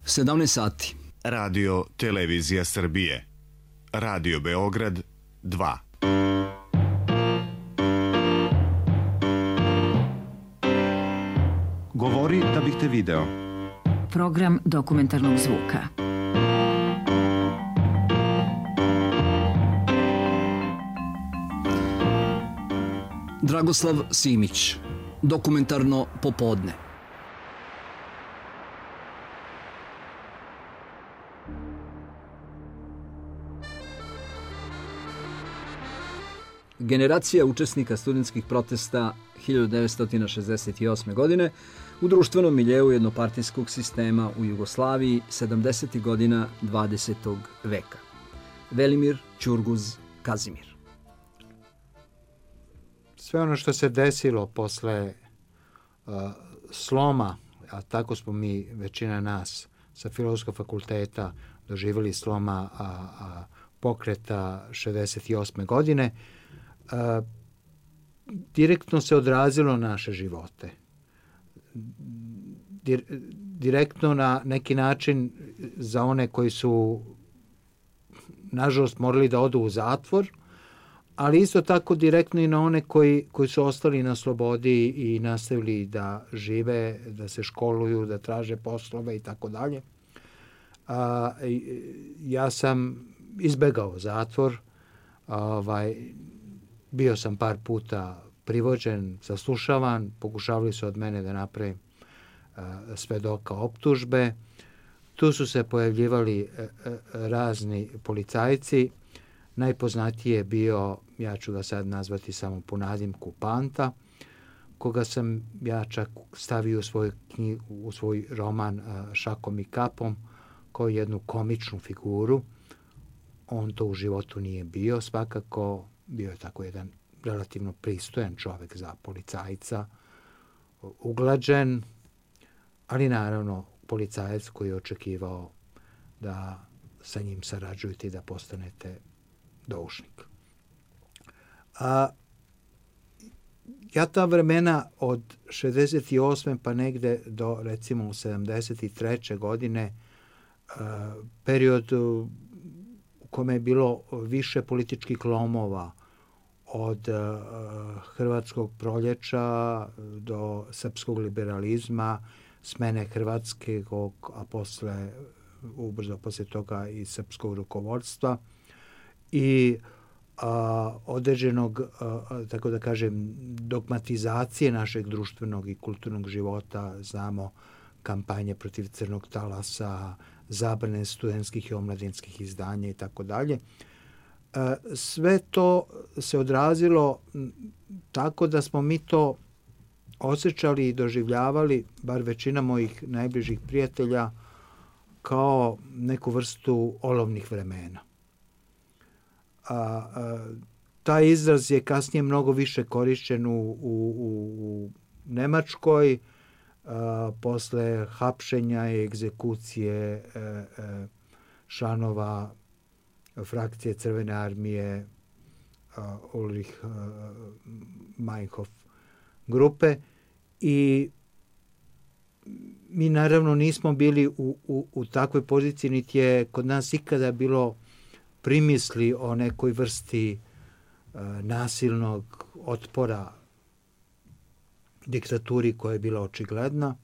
17 sati. Radio Televizija Srbije. Radio Beograd 2. Govori da bih te video. Program dokumentarnog zvuka. Dragoslav Simić. Dokumentarno popodne. Generacija učesnika studentskih protesta 1968. godine u društvenom miljeu jednopartijskog sistema u Jugoslaviji 70. godina 20. veka. Velimir Ćurguz Kazimir. Sve ono što se desilo posle sloma, a tako smo mi, većina nas, sa Filozofskog fakulteta doživjeli sloma pokreta 68. godine, direktno se odrazilo na naše živote. Direktno na neki način za one koji su, nažalost, morali da odu u zatvor, ali isto tako direktno i na one koji su ostali na slobodi i nastavili da žive, da se školuju, da traže poslove i tako dalje. Ja sam izbegao zatvor, bio sam par puta privođen, saslušavan, pokušavali su od mene da napravim svedoka optužbe. Tu su se pojavljivali razni policajci. Najpoznatiji je bio, ja ću ga sad nazvati samo po nadimku, Panta, koga sam ja čak stavio u svoj roman Šakom i kapom kao jednu komičnu figuru. On to u životu nije bio, svakako bio je tako jedan relativno pristojan čovjek za policajca, uglađen, ali naravno policajac koji je očekivao da sa njim sarađujete i da postanete doušnik. Ja ta vremena od 68. pa negde do recimo 73. godine, period u kome je bilo više političkih lomova, od hrvatskog proljeća do srpskog liberalizma, smene hrvatskog, a ubrzo posle toga i srpskog rukovodstva i određenog, tako da kažem, dogmatizacije našeg društvenog i kulturnog života. Znamo kampanje protiv crnog talasa, zabrane studentskih i omladinskih izdanja i tako dalje. Sve to se odrazilo tako da smo mi to osjećali i doživljavali, bar većina mojih najbližih prijatelja, kao neku vrstu olovnih vremena. Taj izraz je kasnije mnogo više korišćen u Nemačkoj, posle hapšenja i egzekucije članova frakcije Crvene armije Ulrich Meinhof grupe, i mi naravno nismo bili u takvoj poziciji, niti je kod nas ikada bilo primisli o nekoj vrsti nasilnog otpora diktaturi koja je bila očigledna.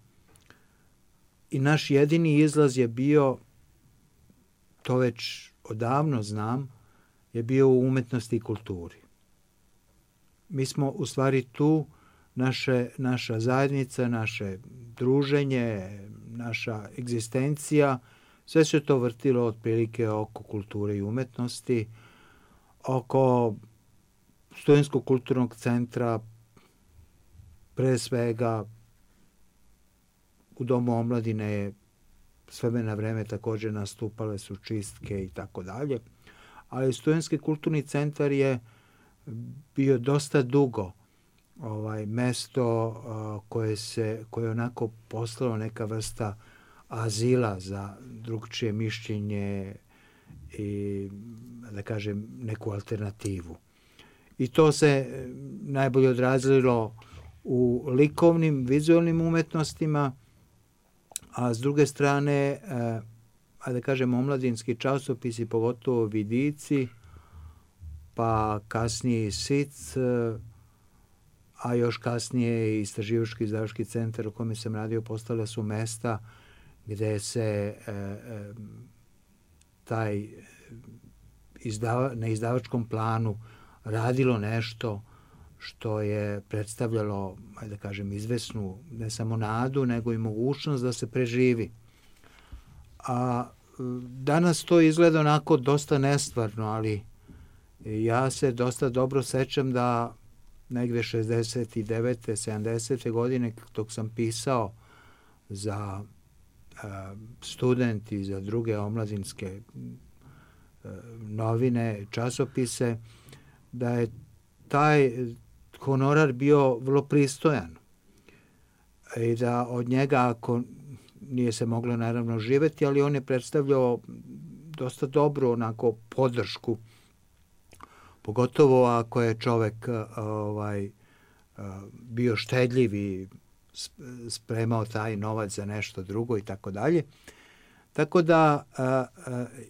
I naš jedini izlaz je bio, to već odavno znam, je bio u umetnosti i kulturi. Mi smo u stvari tu, naša zajednica, naše druženje, naša egzistencija, sve se to vrtilo otprilike oko kulture i umetnosti, oko Studentskog kulturnog centra, pre svega u Domu omladine je s vremena na vreme također nastupale su čistke i tako dalje, ali Studentski kulturni centar je bio dosta dugo mesto koje je onako postalo neka vrsta azila za drugčije mišljenje i, da kažem, neku alternativu. I to se najbolje odrazilo u likovnim, vizualnim umetnostima, a s druge strane, da kažem, omladinski časopisi, pogotovo Vidici, pa kasnije i SIC, a još kasnije i Istraživački centar u kome sam radio, postale su mesta gde se na izdavačkom planu radilo nešto što je predstavljalo, da kažem, izvesnu ne samo nadu, nego i mogućnost da se preživi. A danas to izgleda onako dosta nestvarno, ali ja se dosta dobro sećam da negde 69. 70. godine, dok sam pisao za Student i za druge omladinske novine, časopise, da je taj honorar bio vrlo pristojan i da od njega, ako nije se moglo naravno živeti, ali on je predstavljao dosta dobru onako podršku, pogotovo ako je čovek bio štedljiv i spremao taj novac za nešto drugo i tako dalje. Tako da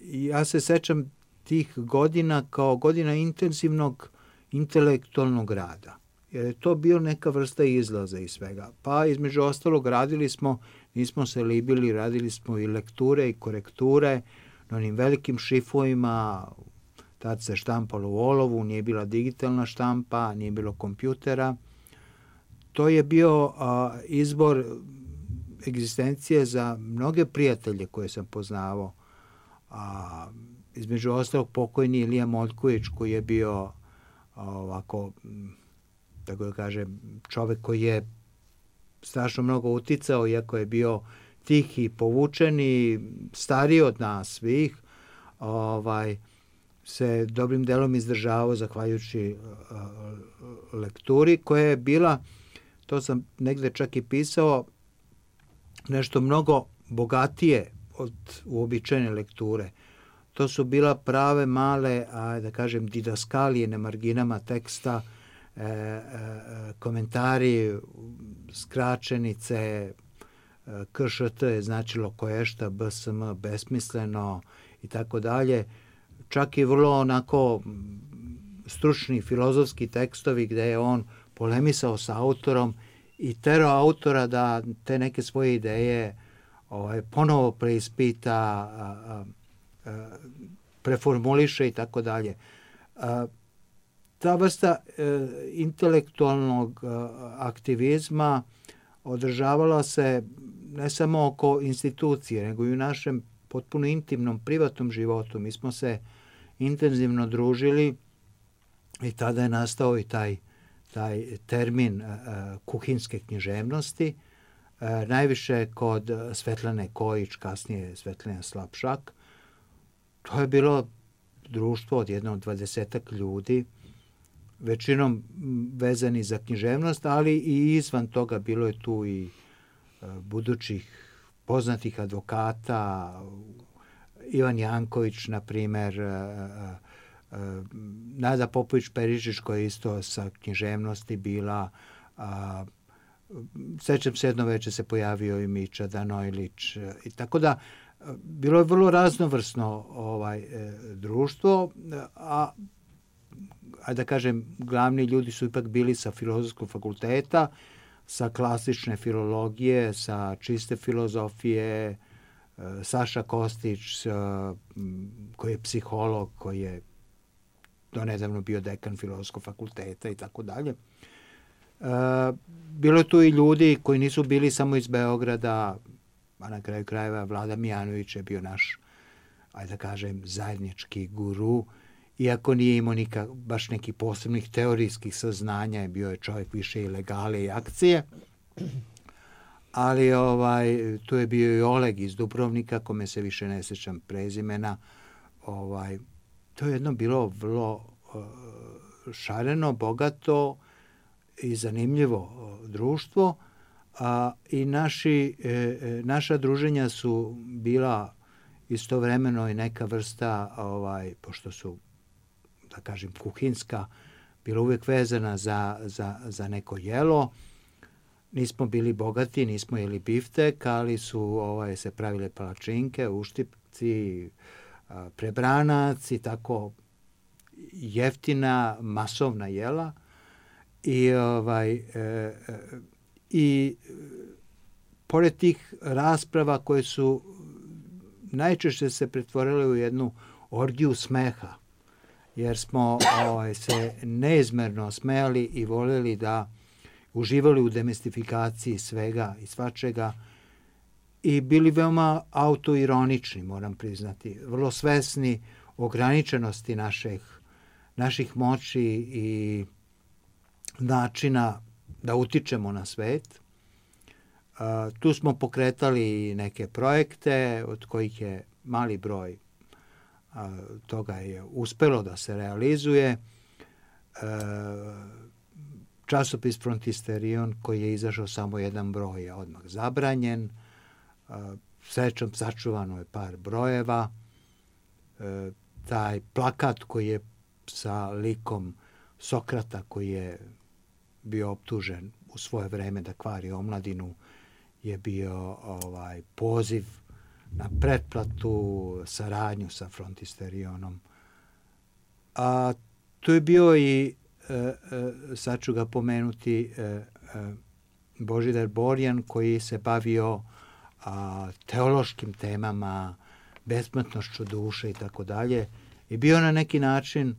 ja se sećam tih godina kao godina intenzivnog intelektualnog rada. Jer je to bio neka vrsta izlaza iz svega. Pa između ostalog radili smo, nismo se libili, radili smo i lekture i korekture na onim velikim šifovima. Tad se štampalo u olovu, nije bila digitalna štampa, nije bilo kompjutera. To je bio izbor egzistencije za mnoge prijatelje koje sam poznavao. Između ostalog pokojni Ilija Moljković, koji je bio ovako, tako da kažem, čovek koji je strašno mnogo uticao, iako je bio tihi, povučeni, stariji od nas svih, se dobrim delom izdržavao zahvaljujući lekturi koja je bila, to sam negde čak i pisao, nešto mnogo bogatije od uobičajene lekture. To su bila prave male, da kažem, didaskalije na marginama teksta, komentari, skraćenice, KŠT je značilo koješta, BSM, besmisleno i tako dalje. Čak i vrlo onako stručni filozofski tekstovi gde je on polemisao sa autorom i terao autora da te neke svoje ideje ponovo preispita, preformuliše i tako dalje. Ta vrsta intelektualnog aktivizma održavala se ne samo oko institucije, nego i u našem potpuno intimnom, privatnom životu. Mi smo se intenzivno družili i tada je nastao i taj termin kuhinske književnosti, najviše kod Svetlane Kojić, kasnije Svetlana Slapšak. To je bilo društvo od jedno 20 ljudi, većinom vezani za književnost, ali i izvan toga bilo je tu i budućih poznatih advokata, Ivan Janković, na primer, Nada Popović-Perišić, koja je isto sa književnosti bila. Sećam se, jedno veče se pojavio i Mića Danojlić. I tako da, bilo je vrlo raznovrsno društvo, a da kažem, glavni ljudi su ipak bili sa Filozofskog fakulteta, sa klasične filologije, sa čiste filozofije, Saša Kostić, koji je psiholog, koji je donedavno bio dekan Filozofskog fakulteta i tako dalje. Bilo je tu i ljudi koji nisu bili samo iz Beograda, a na kraju krajeva Vlada Mijanović je bio naš, da kažem, zajednički guru, iako nije imao baš nekih posebnih teorijskih saznanja, bio je čovjek više i legale i akcije, ali tu je bio i Oleg iz Dubrovnika, kome se više ne sećam prezimena. To je jedno bilo vrlo šareno, bogato i zanimljivo društvo, i naša druženja su bila istovremeno i neka vrsta, pošto su, da kažem, kuhinska, bila uvijek vezana za neko jelo. nismo bili bogati, nismo jeli biftek, ali su se pravile palačinke, uštipci, prebranac i tako jeftina, masovna jela. I pored tih rasprava koje su najčešće se pretvorile u jednu orgiju smeha, jer smo se neizmerno smejali i voljeli da uživali u demistifikaciji svega i svačega i bili veoma autoironični, moram priznati, vrlo svesni ograničenosti naših moći i načina da utičemo na svet. Tu smo pokretali neke projekte od kojih je mali broj toga je uspelo da se realizuje. Časopis Frontisterion koji je izašao samo jedan broj je odmah zabranjen. Srećom sačuvano je par brojeva. Taj plakat koji je sa likom Sokrata koji je bio optužen u svoje vreme da kvari omladinu je bio poziv na pretplatu, saradnju sa Frontisterionom. A tu je bio i, sad ću ga pomenuti, Božidar Borjan koji se bavio teološkim temama, besmrtnošću duše i tako dalje. I bio na neki način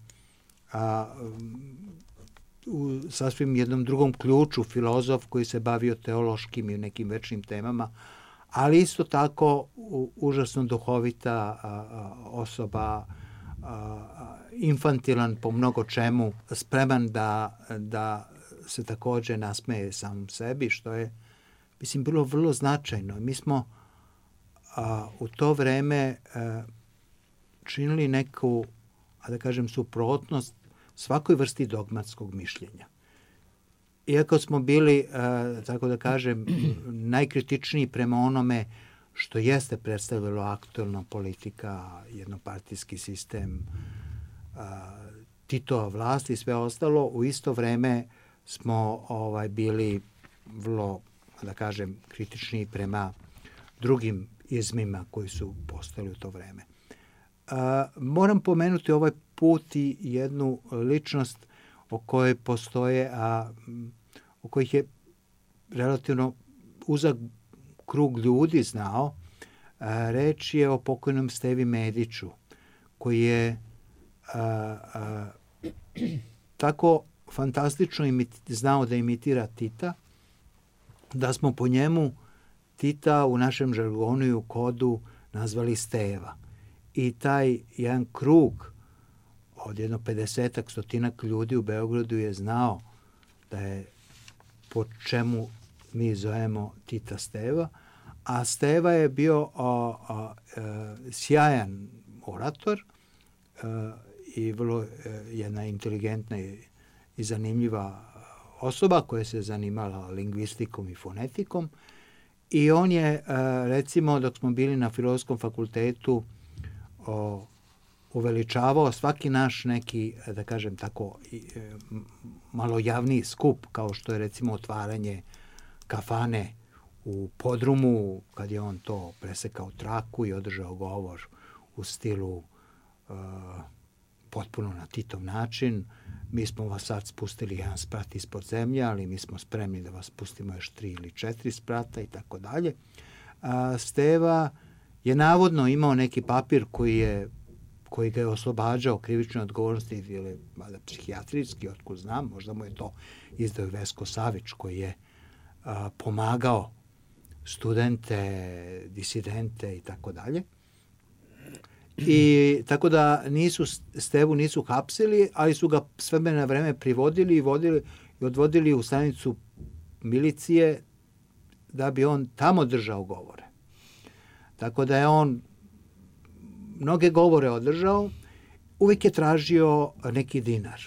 u sasvim jednom drugom ključu filozof koji se bavio teološkim i nekim večnim temama, ali isto tako užasno duhovita osoba, infantilan po mnogo čemu, spreman da se također nasmeje samom sebi, što je, mislim, bilo vrlo značajno. Mi smo u to vreme činili neku, da kažem, suprotnost svakoj vrsti dogmatskog mišljenja. Iako smo bili, tako da kažem, najkritičniji prema onome što jeste predstavilo aktualna politika, jednopartijski sistem, Titova vlast i sve ostalo, u isto vreme smo bili vrlo, da kažem, kritični prema drugim izmima koji su postojali u to vreme. Moram pomenuti ovaj put i jednu ličnost o kojoj postoje, o kojih je relativno uzak krug ljudi znao. Reč je o pokojnom Stevi Mediću, koji je tako fantastično znao da imitira Tita, da smo po njemu Tita u našem žargonu i u kodu nazvali Steva. I taj jedan krug od jedno 50-ak, 100-ak ljudi u Beogradu je znao da je po čemu mi zovemo Tita Steva, a Steva je bio sjajan orator i vrlo jedna inteligentna i zanimljiva osoba koja se zanimala lingvistikom i fonetikom. I on je, recimo, dok smo bili na Filozofskom fakultetu, uveličavao svaki naš neki, da kažem tako, malo javniji skup, kao što je recimo otvaranje kafane u podrumu, kad je on to presekao traku i održao govor u stilu potpuno na Titov način. Mi smo vas sad spustili jedan sprat ispod zemlje, ali mi smo spremni da vas spustimo još 3 ili 4 sprata i tako dalje. Steva je navodno imao neki papir koji ga je oslobađao krivične odgovornosti ili psihijatrijski, otkud znam, možda mu je to izdao Vesko Savić koji je pomagao studente, disidente i tako dalje. I tako da Stevu nisu hapsili, ali su ga s vremena na vreme privodili i odvodili u stanicu milicije da bi on tamo držao govore. Tako da je on mnoge govore održao, uvijek je tražio neki dinar.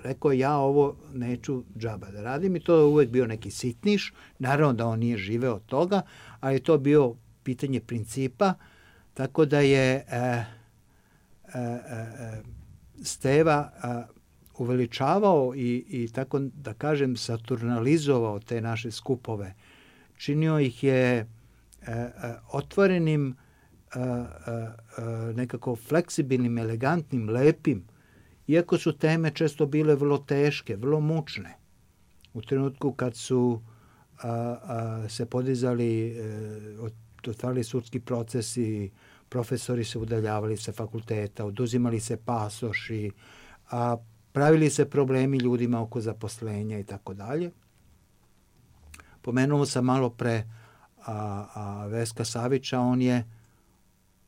Rekao, ja ovo neću džaba da radim i to je uvijek bio neki sitniš. Naravno da on nije živeo od toga, ali to bio pitanje principa, tako da je Steva uveličavao i tako da kažem saturnalizovao te naše skupove. Činio ih je otvorenim, nekako fleksibilnim, elegantnim, lepim, iako su teme često bile vrlo teške, vrlo mučne. U trenutku kad su se podizali, otvarali sudski procesi, profesori se udaljavali sa fakulteta, oduzimali se pasoši, pravili se problemi ljudima oko zaposlenja i tako dalje. Pomenuo sam malo pre Veska Savića,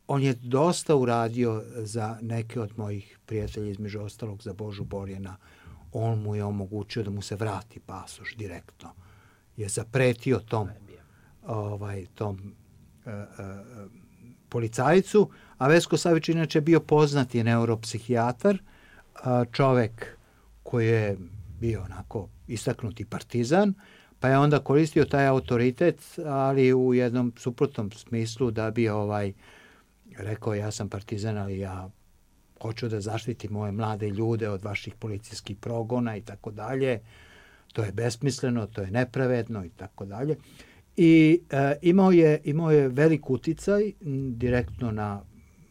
on je dosta uradio za neke od mojih prijatelja, između ostalog za Božu Borjana. On mu je omogućio da mu se vrati pasoš direktno. Je zapretio tom policajcu, a Vesko Savić inače bio poznati neuropsihijatar, čovek koji je bio onako istaknuti partizan, pa je onda koristio taj autoritet, ali u jednom suprotnom smislu da bi rekao ja sam partizan, ali ja hoću da zaštitim moje mlade ljude od vaših policijskih progona i tako dalje. To je besmisleno, to je nepravedno i tako dalje. I imao je velik uticaj direktno na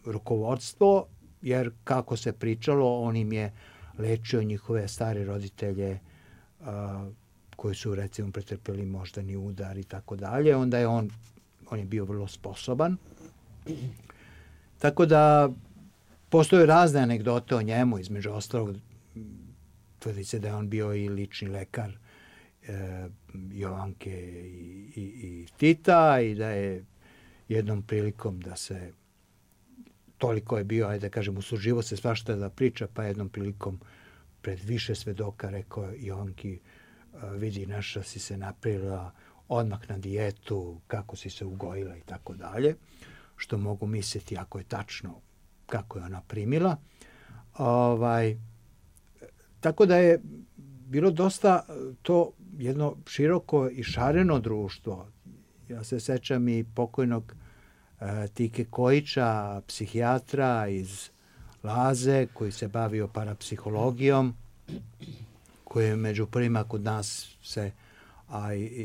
rukovodstvo, jer kako se pričalo, on im je lečio njihove stare roditelje koji su recimo pretrpeli moždani udar i tako dalje. Onda je on je bio vrlo sposoban. Tako da postoje razne anegdote o njemu, između ostalog tvrdi se da je on bio i lični lekar Jovanke i Tita i da je jednom prilikom da se toliko je bio, ajde da kažem, usuživo se svašta da priča, pa jednom prilikom pred više svedoka rekao Jovanki, vidi, naša si se napravila odmah na dijetu, kako si se ugojila i tako dalje, što mogu misliti ako je tačno kako je ona primila. Tako da je bilo dosta to jedno široko i šareno društvo. Ja se sećam i pokojnog Tike Kojića, psihijatra iz Laze, koji se bavio parapsihologijom, koji je među prvima kod nas se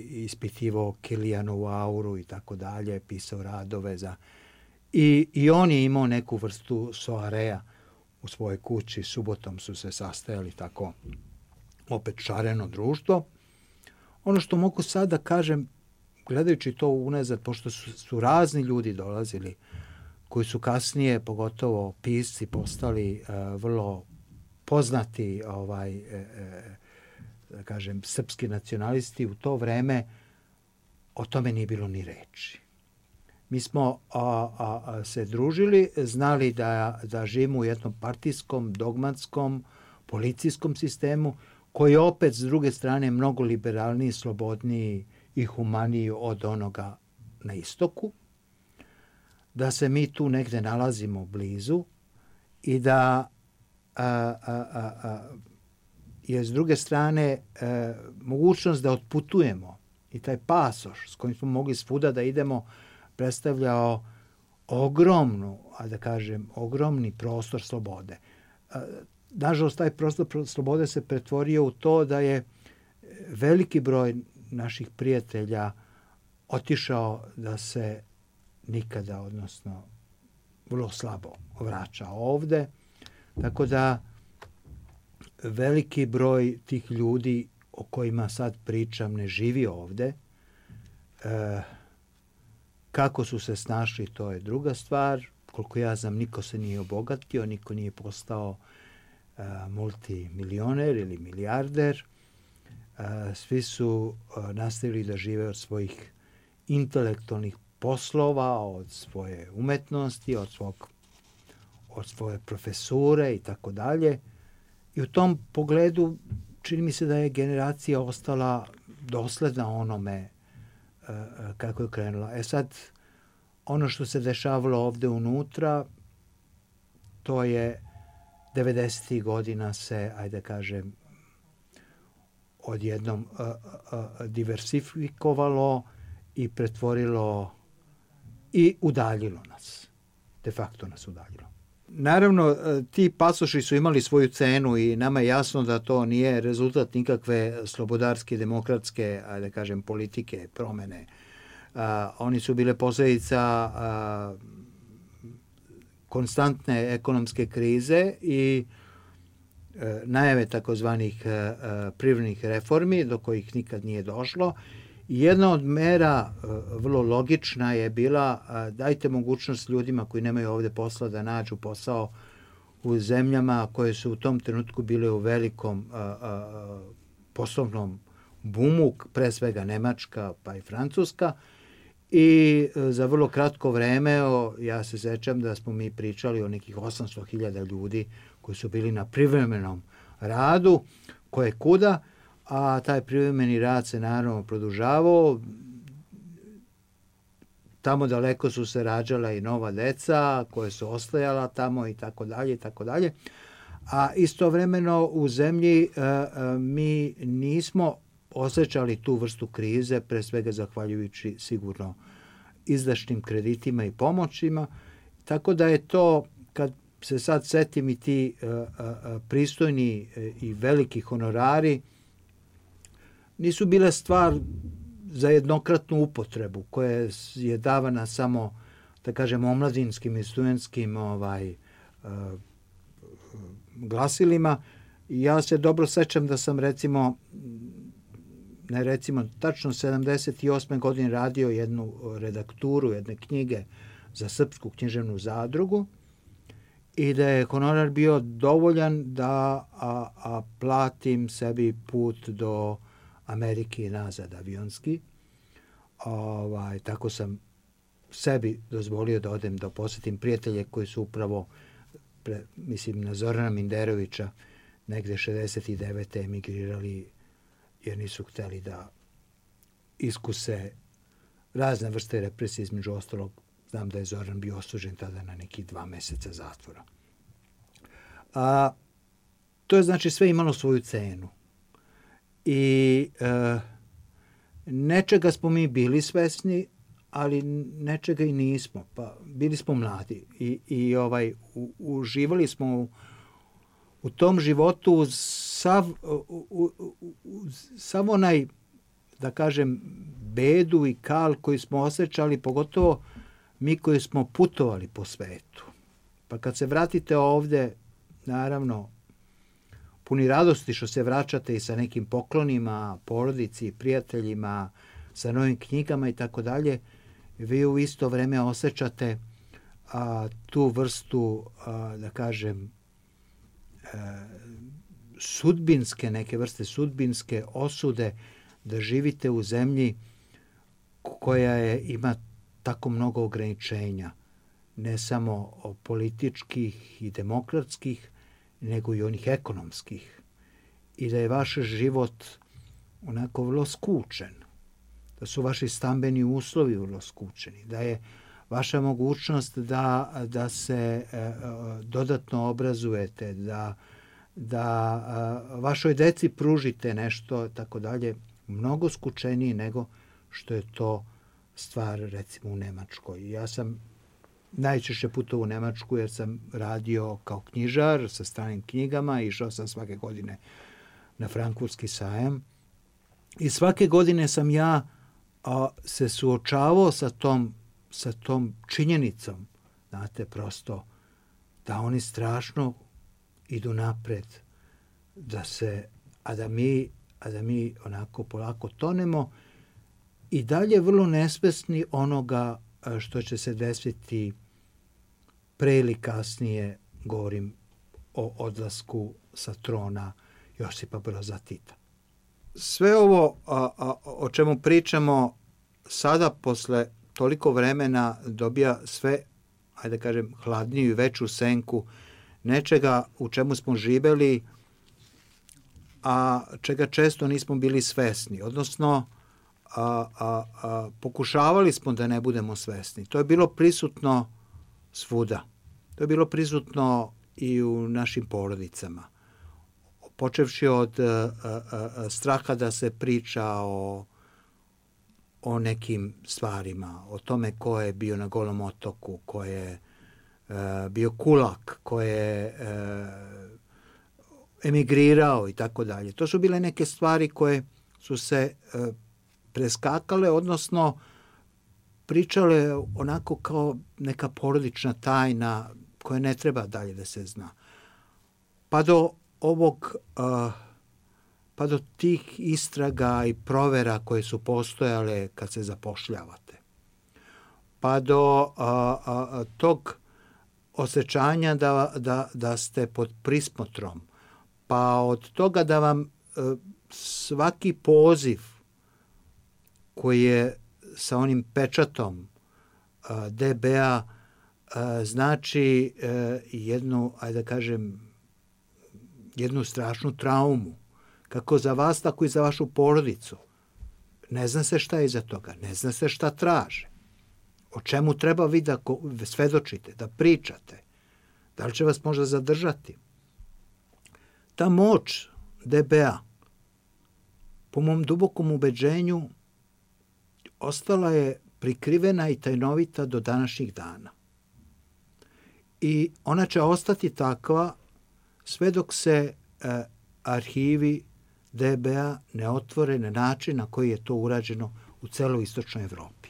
ispitivao Kilijanovu auru i tako dalje, pisao radove za... I on je imao neku vrstu soarea u svojoj kući, subotom su se sastajali tako opet šareno društvo. Ono što mogu sad da kažem, gledajući to unazad, pošto su razni ljudi dolazili, koji su kasnije, pogotovo pisci, postali vrlo poznati, da kažem, srpski nacionalisti, u to vreme o tome nije bilo ni reči. Mi smo se družili, znali da živimo u jednom partijskom, dogmatskom, policijskom sistemu, koji je opet, s druge strane, mnogo liberalniji, slobodniji i humaniji od onoga na istoku, da se mi tu negde nalazimo blizu i da je, s druge strane, mogućnost da otputujemo i taj pasoš s kojim smo mogli svuda da idemo predstavljao ogromni prostor slobode. Nažalost, taj prostor slobode se pretvorio u to da je veliki broj naših prijatelja otišao da se nikada, odnosno vrlo slabo vraća ovde. Tako da veliki broj tih ljudi o kojima sad pričam ne živi ovde. Kako su se snašli, to je druga stvar. Koliko ja znam, niko se nije obogatio, niko nije postao multimilioner ili milijarder. Svi su nastavili da žive od svojih intelektualnih poslova, od svoje umetnosti, od svoje profesure i tako dalje. I u tom pogledu čini mi se da je generacija ostala dosledna onome kako je krenula. Sad, ono što se dešavalo ovde unutra, to je 90. godina se, ajde kažem, odjednom diversifikovalo i pretvorilo i udaljilo nas. De facto nas udaljilo. Naravno, ti pasoši su imali svoju cenu i nama je jasno da to nije rezultat nikakve slobodarske, demokratske, da kažem, politike, promene. Oni su bile posljedica konstantne ekonomske krize i najave takozvanih privrednih reformi do kojih nikad nije došlo. Jedna od mera, vrlo logična, je bila dajte mogućnost ljudima koji nemaju ovdje posla da nađu posao u zemljama koje su u tom trenutku bile u velikom poslovnom bumu, pre svega Nemačka pa i Francuska. I za vrlo kratko vreme, ja se sećam da smo mi pričali o nekih 800.000 ljudi koji su bili na privremenom radu, koje kuda, a taj privremeni rad se naravno produžavao. Tamo daleko su se rađala i nova deca koje su ostajala tamo i tako dalje i tako dalje. A istovremeno u zemlji mi nismo osjećali tu vrstu krize, pre svega zahvaljujući sigurno izdašnim kreditima i pomoćima. Tako da je to, kad se sad setim i ti pristojni i veliki honorari, nisu bile stvar za jednokratnu upotrebu koja je davana samo, da kažem, omladinskim i studentskim glasilima. Ja se dobro sećam da sam tačno 78. godine radio jednu redakturu, jedne knjige za Srpsku književnu zadrugu i da je honorar bio dovoljan da platim sebi put do Amerike i nazad avionski. Tako sam sebi dozvolio da odem da posjetim prijatelje koji su upravo, mislim na Zorana Minderovića, negde 69. emigrirali jer nisu hteli da iskuse razne vrste represije, između ostalog. Znam da je Zoran bio osuđen tada na nekih 2 meseca zatvora. To je znači sve imalo svoju cenu. I nečega smo mi bili svesni, ali nečega i nismo. Pa bili smo mladi i uživali smo u tom životu sav onaj, da kažem, bedu i kal koji smo osjećali, pogotovo mi koji smo putovali po svetu. Pa kad se vratite ovdje, naravno, puni radosti što se vraćate i sa nekim poklonima, porodici, prijateljima, sa novim knjigama i tako dalje, vi u isto vrijeme osjećate tu vrstu, da kažem, sudbinske, neke vrste sudbinske osude da živite u zemlji koja ima tako mnogo ograničenja, ne samo političkih i demokratskih, nego i onih ekonomskih. I da je vaš život onako vrlo skučen, da su vaši stambeni uslovi vrlo skučeni, da je vaša mogućnost da se dodatno obrazujete, da vašoj deci pružite nešto, tako dalje, mnogo skučeniji nego što je to stvar, recimo, u Nemačkoj. Ja sam najčešće putovao u Nemačku jer sam radio kao knjižar sa stranim knjigama, išao sam svake godine na Frankfurtski sajam i svake godine sam ja se suočavao sa tom činjenicom, znate, prosto da oni strašno idu napred, a da mi onako polako tonemo i dalje vrlo nesvesni onoga što će se desiti pre ili kasnije, govorim o odlasku sa trona Josipa Broza Tita. Sve ovo o čemu pričamo sada posle toliko vremena dobija sve, ajde da kažem, hladniju i veću senku nečega u čemu smo živeli, a čega često nismo bili svesni. Odnosno, pokušavali smo da ne budemo svesni. To je bilo prisutno svuda. To je bilo prisutno i u našim porodicama. Počevši od straha da se priča o nekim stvarima, o tome ko je bio na Golom otoku, ko je bio kulak, ko je emigrirao i tako dalje. To su bile neke stvari koje su se preskakale, odnosno pričale onako kao neka porodična tajna koja ne treba dalje da se zna. Pa do tih istraga i provera koje su postojale kad se zapošljavate. Pa do tog osjećanja da ste pod prismotrom. Pa od toga da vam svaki poziv koji je sa onim pečatom DB-a znači jednu, ajde da kažem, jednu strašnu traumu. Kako za vas, tako i za vašu porodicu. Ne zna se šta je iza toga, ne zna se šta traže. O čemu treba vi da svedočite, da pričate. Da li će vas možda zadržati? Ta moć DB-a, po mom dubokom ubeđenju, ostala je prikrivena i tajnovita do današnjih dana. I ona će ostati takva sve dok se arhivi DB-a ne otvore na način na koji je to urađeno u celoj istočnoj Evropi.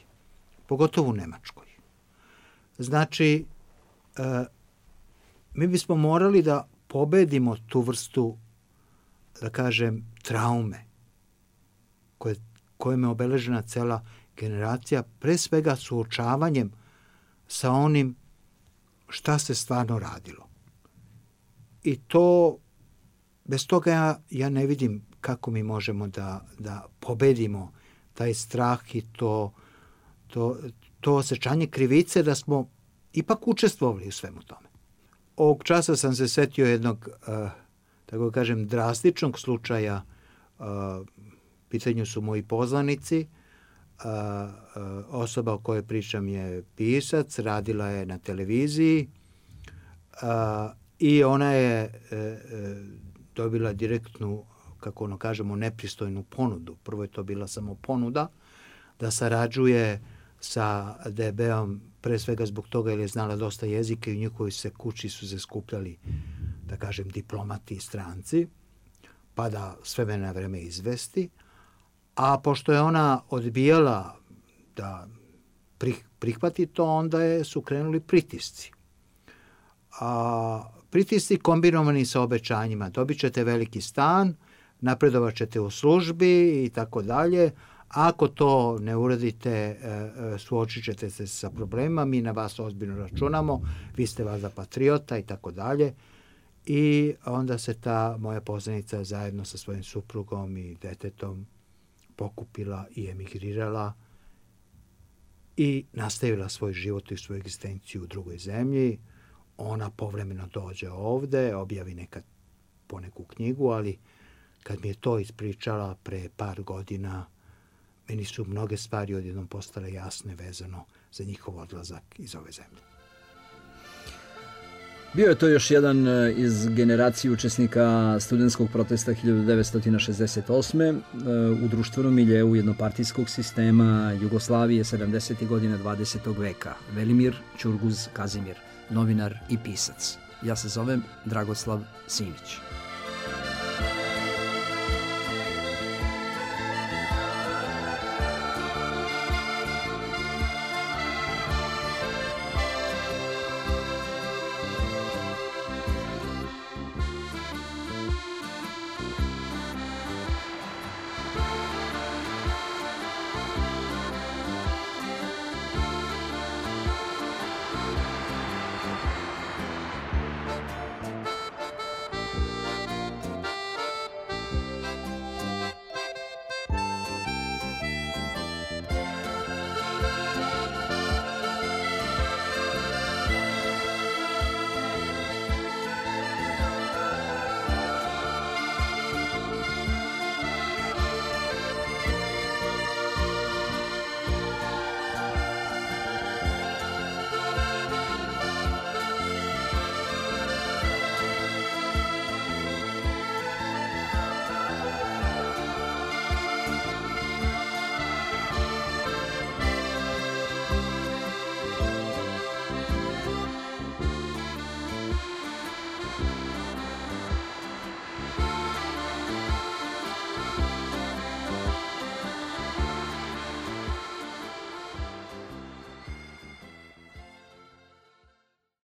Pogotovo u Nemačkoj. Znači, mi bismo morali da pobedimo tu vrstu, da kažem, traume kojom je obeležena cela generacija, pre svega suočavanjem sa onim šta se stvarno radilo. I to, bez toga ja ne vidim kako mi možemo da pobedimo taj strah i to osjećanje krivice da smo ipak učestvovali u svemu tome. Ovog časa sam se setio jednog, tako kažem, drastičnog slučaja. Pitanju su moji poznanici. Osoba o kojoj pričam je pisac, radila je na televiziji i ona je dobila direktnu, kako ono kažemo, nepristojnu ponudu. Prvo je to bila samo ponuda da sarađuje sa DB-om, pre svega zbog toga jer je znala dosta jezika i u njihovoj se kući su se skupljali, da kažem, diplomati i stranci, pa da s vremena na vreme izvesti. A pošto je ona odbijala da prihvati to, onda su krenuli pritisci. Pritisci kombinovani sa obećanjima. Dobit ćete veliki stan, napredovat ćete u službi i tako dalje. Ako to ne uradite, suočit ćete se sa problemima, mi na vas ozbiljno računamo, vi ste valjda patriota i tako dalje. I onda se ta moja poznanica zajedno sa svojim suprugom i detetom pokupila i emigrirala i nastavila svoj život i svoju egzistenciju u drugoj zemlji. Ona povremeno dođe ovde, objavi nekad poneku knjigu, ali kad mi je to ispričala pre par godina, meni su mnoge stvari odjednom postale jasne vezano za njihov odlazak iz ove zemlje. Bio je to još jedan iz generacije učesnika studentskog protesta 1968. U društvenom miljeu jednopartijskog sistema Jugoslavije 70. godina 20. veka. Velimir Ćurguz Kazimir, novinar i pisac. Ja se zovem Dragoslav Simić.